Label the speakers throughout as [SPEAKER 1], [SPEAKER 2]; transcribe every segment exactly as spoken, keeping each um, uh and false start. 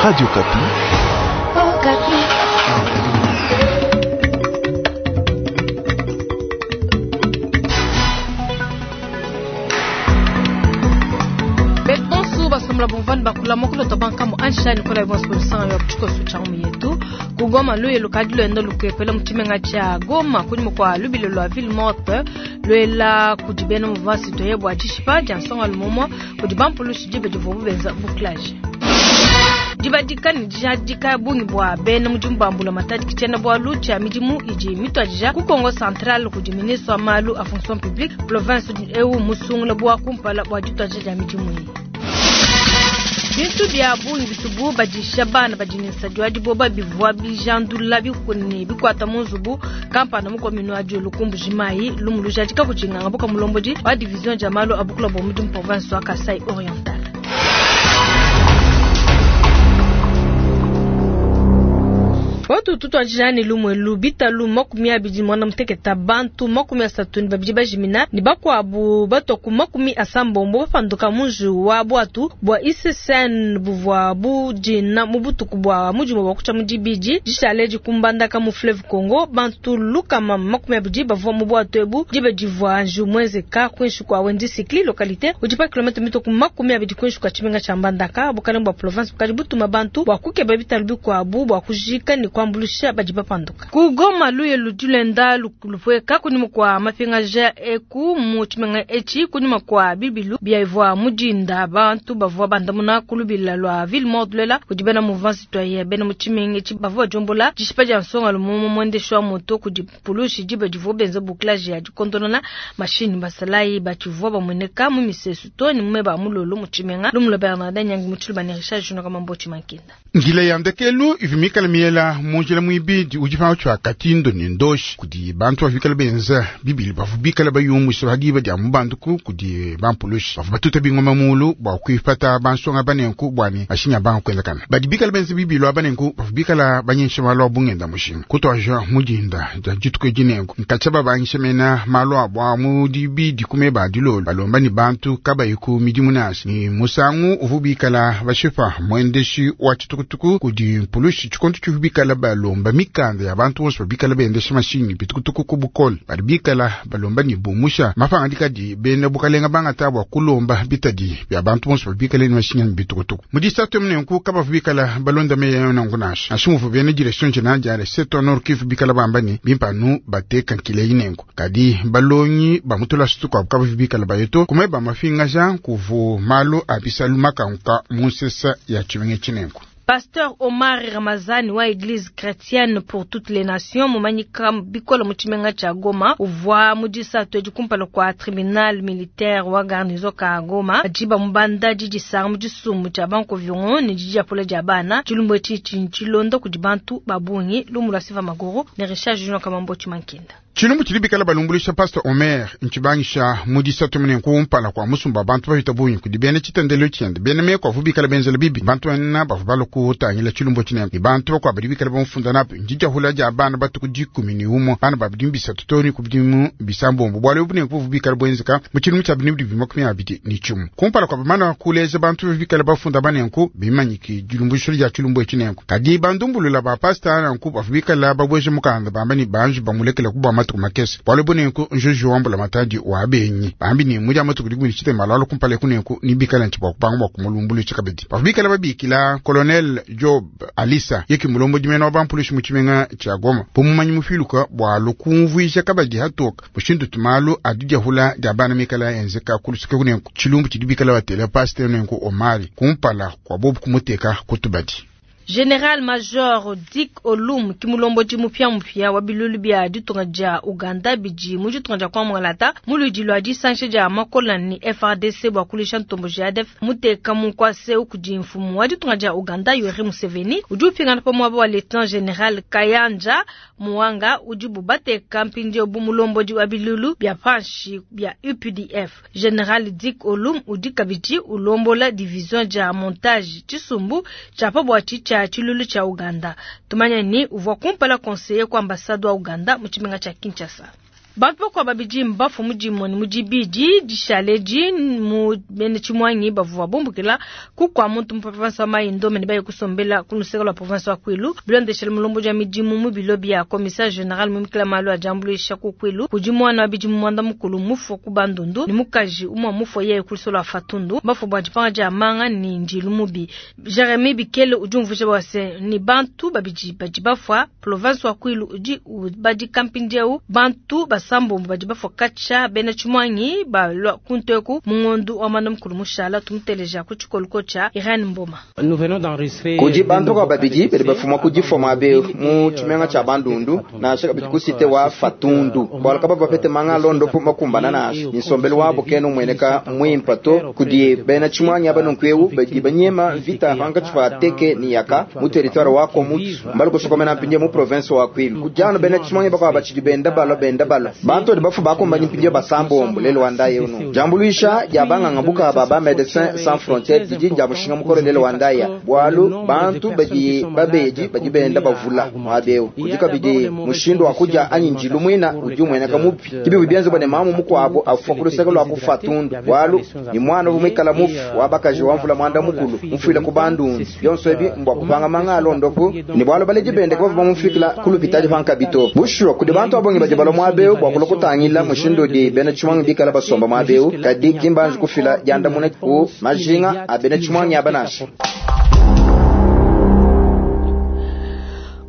[SPEAKER 1] Radio Okapi.
[SPEAKER 2] Oh, Okapi.
[SPEAKER 3] Bonsu basomla bomvani bakula mokolo tobanka mu ansha nikola ibonso bolusanga yo kuchikosu cha mu yetu kugoma luye lukadi lwendo lukepela muchimenga cha Goma kunyuma kwa lubilo lwa ville morte lwela kudibena mouvement citoyen bwa dishipa dia nsonga lumomwa kudi bampulushi dibe divubu benza bouclage dibadika ne dijadika bungi bwa bena mudimu bambula matadi kitshiena bwalu tshia midimu idi mitwadija ku Kongo Central kudi ministre wa malu a fonction publique province eu musungula bwa kumpala bwa ditwadija dia midimu iyi. Bintu bya bungi bitubu badisha bana badi ne nsadi wa diboba bivua bijandula bikuni bikwata mu nzubu kampanda mukomino wa diulu kumbuji mayi lumu lujadika kudinganga buka mulombodi wa division dia malu a bukula bwa mudimu province wa Kasai Oriental. Watu tutwajani lumwe lubita makumi abidi mwana muteketa bantu makumi asatu ni babidi bajimina ni bakwabu batoku makumi asambombo bapanduka munju wa bwatu bwa I C C N buvwa budina mu butuku bwa mujimu bwa kucha mudibidi dishale dikumbandaka mu fleuve Congo bantu lukama makumi abidi bavwa mu bwatu ebu dibe divwa nju mwezeka kwinshi kwa Wendi Sikli localité udipa kilomita mitoku makumi abidi kwinshi kwa chimenga cha Mbandaka bukalenga bwa province bukali butuma bantu bwa kukeba bitalu bikwabu bwa kujika ni kwambulusha badi bapanduka kugoma luye ludulenda lupweka kunyuma kwa mapingaja eku mu chimenga echi kunyuma kwa bibilu byaivwa mujinda bantu bavwa bandamuna kulubila lwa ville morte lela kudibena mouvement citoyen bena mu chimenga echi bavwa jombola dishipa dia nsonga lumomo mwendesho wa moto kudi pulushi dibe divwa benza bouclage ya dikondolona machine basalayi bachivwa bamweneka mu misesu to ni mumeba mulolo mu chimenga lumulo Bernardin Nyangi muchilu bani Richard Junior kama Mankinda
[SPEAKER 4] ngila ya ndekelu ivimikala miela munjila mwibidi udi pa katindo ni ndoshi kudi bantu bavikala benza bibili bavubikala bayumusha badiba dia mubanduku kudi bampulushi bavu batuta bingoma mulu bwa kuipata bansonga banenku bwani mashinya banga kwenzakana badi bikala benza bibili abanenku bavubikala banyensha malu abungenda mushinga kutwaja mudinda dia dituku edinenku nkatsha babangisha mena malu abo mudibidi kumeba dilolo balomba ni bantu kabayiku midimu nasi ni musangu uvubikala bashipa mwendeshi wa chitukutuku kudi mpulushi chikonto chivubikala balomba mikanda ya bantu bonso babikala bendesha mashinyi bitukutuku ku bukole badi bikala balomba ni bumusha mapangadika di bena bukalenga bangata bwa kulomba bitadi bya bantu bonso babikala ni mashinyi ni bitukutuku mudisatu munenku kabavu bikala balonda meya nangu nasha nashimuvu bena direction générale ya secteur nord Kivu bikala bamba ni bimpanu bateka nkile inenku kadi balonyi bamutula sutuku abo kabavu bikala bayeto kumeba mafinga kuvu malu abisalu makanka munsesa ya chimenge chinenku.
[SPEAKER 3] Pasteur Omar Ramazani wa Église chrétienne pour toutes les nations mumanyika bikola muchimenga cha Goma uvwa mudisa tweji kumpala kwa tribunal militaire wa garnison ka Goma ajiba mubanda jijisanga mudisumu cha banko vion ni jiji apole dia bana chilumbo chichi chilondo kudi bantu babungi lumula siva magoro ne Richard Junior Kamambo Chimankinda.
[SPEAKER 4] Chilumbu chilibikala balumbulisha Pastor Omer nchibangisha mudisatu mune kumpala kwa musumba bantu bahita bunyi kudi bene chitendelo chende bene meko avubikala benzela bibi bantu banena bavu balokutangila chilumbu chinene ni bantu bakwa badibikala bamfunda napo njijahula ja bana batuku dikumi ni umo bana babidimu bisatu toni kubidimu bisambombo bwale bune kuvubikala bwenzeka mu chilumbu cha binibu dibi makumi abidi ni chumu kumpala kwa bamana kuleza bantu bibikala bafunda banenku bimanyiki jilumbusho lya chilumbu chinenku kadi bandumbulula ba pastor nanku bavubikala babweje mukanda bamba ni banju bamulekela kubwa matuku makese bwale bunenku njuju wambula matadi wa benyi bambi ni muja matuku dikumi chite malalo kumpale kunenku nibikala nchibwa kupanga bwa kumulumbulu chikabidi bavubikala babikila colonel Job Alisa yeki mulombo dimena wa bampulushi muchimenga cha Goma bumumanyi mufiluka bwa lukumvuisha kabadi hatoka mushindu tumalu adijahula dia bana mikala enzeka kulusike kunenku chilumbu chidibikala batela pasteur nenku Omari kumpala kwa bobu kumuteka kutubadi.
[SPEAKER 3] General Major Dick Olum kimulombo mupya mupya wa bilulu bya ditunga dia Uganda bidi mu ditunga dia Kwamwalata muludi lwa disanshe dia makola ni F R D C bwa kulisha ntombo ja A D F muteka munkwase ukudi mfumu wa ditunga dia Uganda Yoweri Museveni udi upingana pamwe wa Lieutenant General Kayanja Muwanga udi bubateka mpindieu bu mulombo wa bilulu bya panshi bya U P D F. General Dick Olum udi kabidi ulombola division dia montage Chisumbu chapa bwa chicha chilulu cha Uganda. Tumanya ni uvwa kumpala conseiller kwa ambassadeur wa Uganda mu chimenga cha Kinshasa. Bantu bakuabu babidi mbafue mu dimue ne mu dibidi dishale edi mu bena Tshimuangi bavua bumbukila ku kua muntu mu province wa Mai Ndombe ne baye kusombela ku luseke lua province wa Kwilu. Bilondeshele mulombodi wa midimu mu bilo bia commissaire general mu mikila malu a diambuluisha ku Kwilu kudi muana wa bidimu muanda mukulu mufue ku Bandundu ne mukaji umue mufue yeye ku luseke lua Fatundu bafue bua dipanga dia manga ne ndilu mubi. Jeremy Bikele udi umvuija bua se ni bantu babidi badi bafua province wa Kwilu udi ubadika mpindieu bantu basambombo badi bafua katshia bena Tshimuangi balua kunteku mu ngondu wa mwanda mukulu mushala tumuteleja ku tshikolo tshia Irene Mboma.
[SPEAKER 1] Kudi bantu kwa babidi badi bafuma ku difua abe mu tshimenga tshia Bandundu nansha kabidi ku cité wa Fatundu bwalaka bava bapete manga alondo po makumbana nansha nsombelu wabo kena umueneka mwimpa to kudi bena Tshimuangi aba nunku badi banyema vita pankatshi pa Teke ni Yaka mu territoire wa Komutu mbali kusokomena mpindieu mu province wa Kwilu kujano bena Tshimuangi bakwa batshidi benda balwa benda balwa bantu badi bafu bakombanyi mpindieu basambombo lelo wandaya uno jambuluisha dia banganga buka ba ba Médecins Sans Frontières didi dia mushinga mukolo lelo wandaya bwalu bantu badi babedi badi benda bavula mwabeu kudi kabidi mushindu wa kuja anyi njilu mwina udi umueneka mupi kibi bienze bwane mamu mukwabo afua kuluseke lwa kufa tundu bwalu ni mwana vumwikala mufu wabakaji wamvula mwanda mukulu mufwile ku Bandundu byonso ebi mbwa kupanga manga alondopu ni bwalu baleji bende kubavu bamufikila kulupitali pankabito bushuwa kudi bantu abongi badi balwa mwabeu bwa kulokutangila mushindu udi bena Tshimuangi bikala basomba mwabeu kadi kimbanji kufila diandamuna ku majinga a bena Tshimuangi aba nansha.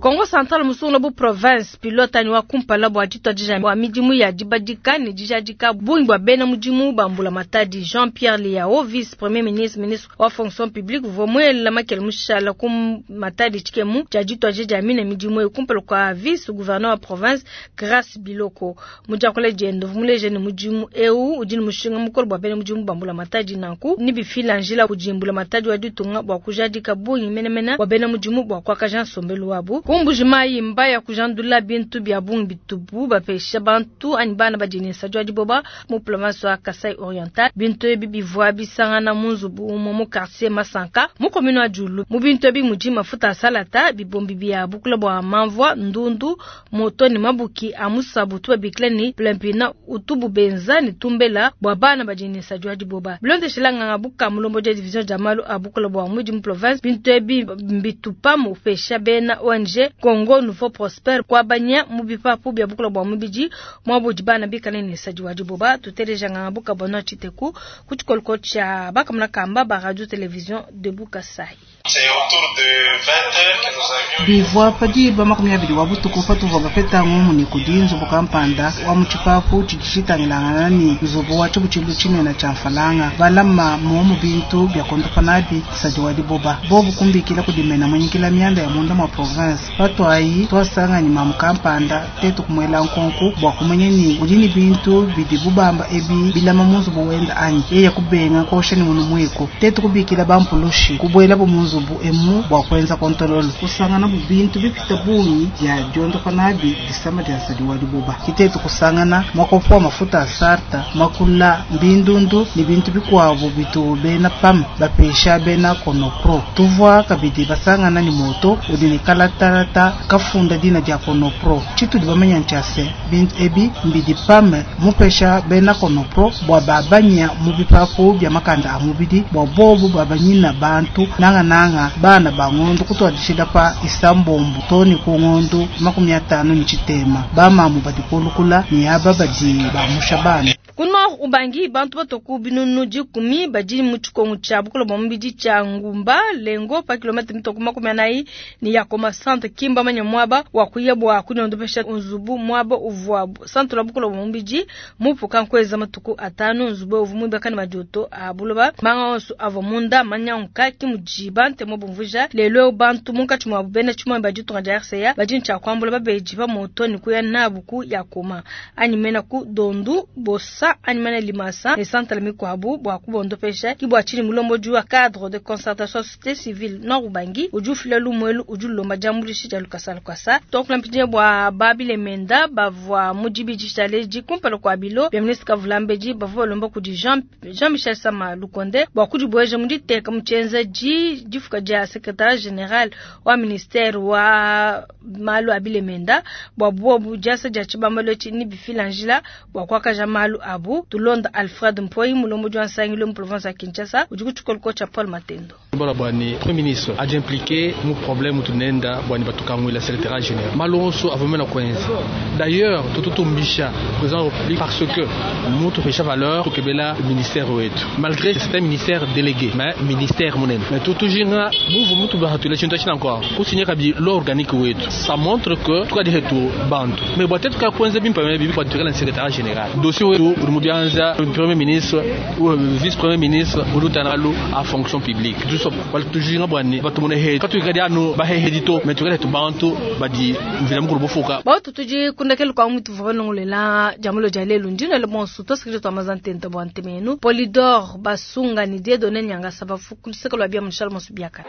[SPEAKER 3] Kongo Central musungula bu province pilote ani wa kumpala bua dituadija wa midimu ya dibadika ne dijadika bungi bua bena mudimu ba mbula matadi. Jean-Pierre Lihau, vice premier ministre, ministre wa fonction publique, uvua muela makele mushala ku matadi tshikemu tshia dituadija dia mine midimu eyi kumpala kua vice gouverneur wa province Grace Biloko. Mu diakula diende uvua muleje ne mudimu eu udi ne mushinga mukole bua bena mudimu ba mbula matadi nanku ni bifila njila kudi mbula matadi wa ditunga bua kujadika bungi menemene bua bena mudimu bua kuakaja nsombelu wabu. Kumbuji mayi mbaya kujandula bintu bia bungi bitubu bapesha bantu anyi bana badi ne nsadi wa diboba mu province wa Kasai Oriental. Bintu ebi bivua bisangana mu nzubu umue mu quartier Masanka mu commune wa Diulu. Mu bintu ebi mudi mafuta a salata, bibombi bia bukula bua mamvua, ndundu, moto ne mabuki a musabu tubabikila ni plempina utubu benza ne tumbela bua bana badi ne nsadi wa diboba. Bilondeshela nganga buka mulombo dia division dia malu a bukula bua mudi mu province, bintu ebi mbitupa mu pesha bena O N G Congo Nouveau Prosper kwa banya mu bipapu bia bukula bua mubidi mwabudi bana bikale ne nsadi wa diboba. Tuteleja nganga buka bona chiteku ku tshikoloko tshia bakamuna kamba ba radio télévision de Bukasai.
[SPEAKER 5] Bivua padi makumi abidi wa butuku patuvua bapeta ngumu ne kudi nzubu kampanda wa mu tshipapu tshidi tshitangilangana ne nzubu wa tshibutshilu tshinene tshia mfalanga balama momu bintu bia kondopa nabi nsadi wa diboba bobu kumbikila kudimena munyikila mianda ya munda mwa province patwayi twasangani mamu kampanda tetu kumwela nkonku bua kumanya ni udi ne bintu bidi bubamba ebi bilama mu nzubu wenda anyi yeye kubenga kosha ni munu mwiko tetu kubikila bampulushi kubuela bu mu nzubu emu bua kuenza kontololo kusangana bu bintu bipita bungi bya diondopa nabi disama dia nsadi wa diboba kitetu kusangana makopo mafuta a sarta makula mbindundu ni bintu bikuabu bitu bena pam bapesha bena konopro tuvua kabidi basangana ni moto udi ne kalatalata kafunda dina dia konopro tshitudi bamanya ntshia bintu ebi mbidi pam mupesha bena konopro bua babanya mu bipapu bya makanda a mubidi bua bobu babanyina bantu nanga nanga bana bangondo kutwadishila pa isambombo toni ku ngondo makumi atano ni tshitema bamamu badi kulukula ni aba badi bamusha bana.
[SPEAKER 3] Ku Nord Ubangi bantu batoku binunu dikumi badi mu tshikongu tshia bukula bua mubidi tshia Ngumba Lengo pa kilomita mitoku makumi anayi ni ya Koma centre kimba manya mwaba wa kuya bua kunyondopesha nzubu mwaba uvua centre la bukula bua mubidi mupuka nkweza matuku atanu nzubu uvu mwibaka ne madioto a buloba manga onso avua munda manyanguka kimudi bante mobumvuja lelo bantu munkatshi mwabu bena tshimue badi tunga dia R C A badi ntshia kuambula babedi pa moto ni kuya nabu ku ya Koma anyi mena ku Dondu Bosa anyi mene limasa ne santala mikuabu bua kubondopesha. Ki bua tshinyi mulombodi wa cadre de concertation société civile Nord Ubangi udi ufila lumuelu udi ulomba diambuluisha dia lukasa lukasa. Tuakula mpindieu bua babilemenda bavua mu dibidi tshaleji kumpala kua bilo bia ministre Kavulambedi bavua balomba kudi Jean Jean-Michel Sama Lukonde bua kudibueja mu diteka mu tshienzedi difuka dia secrétaire général wa ministère wa malu a bilemenda bua bobu diasa dia tshibambalu etshi ni bifila njila bua kuakaja malu abu. Tulonda Alfred Mpoyi mulombodi wa nsangilu mu province ya Kinshasa udi ku tshikolo tshia Paul Matendo.
[SPEAKER 6] Bala bwani premier ministre a impliqué mu problème tunenda bwani batukangwila secrétaire général malonso avomena kwenza. D'ailleurs tututumbisha président de la République parce que mutu pesha valeur tukebela ministère wetu malgré c'est un ministère délégué mais ministère munene mais tutujinga muvu mutu bahatula chintu china encore kusinya kabi l'organique wetu ça montre que tukadi hetu bantu mais bwa tetu ka kwenza bimpa mais bibi kwa tukela secrétaire général dossier wetu rumubianza premier ministre ou vice premier ministre ulutanalu à fonction publique tujinga bwani batumune he katukadi anu bahehedito mais tukadi bantu badi mvila mukulu bufuka
[SPEAKER 3] bautu tudi kundakelu kwa mutu vovanongolela jamulo dia lelu ndino le bonsu tosikije twamazantenta bwa ntemenu Polidor Basunga ni Dieudonné Nyangasa bafu kuliseka lwa bia munshala mosu biaka.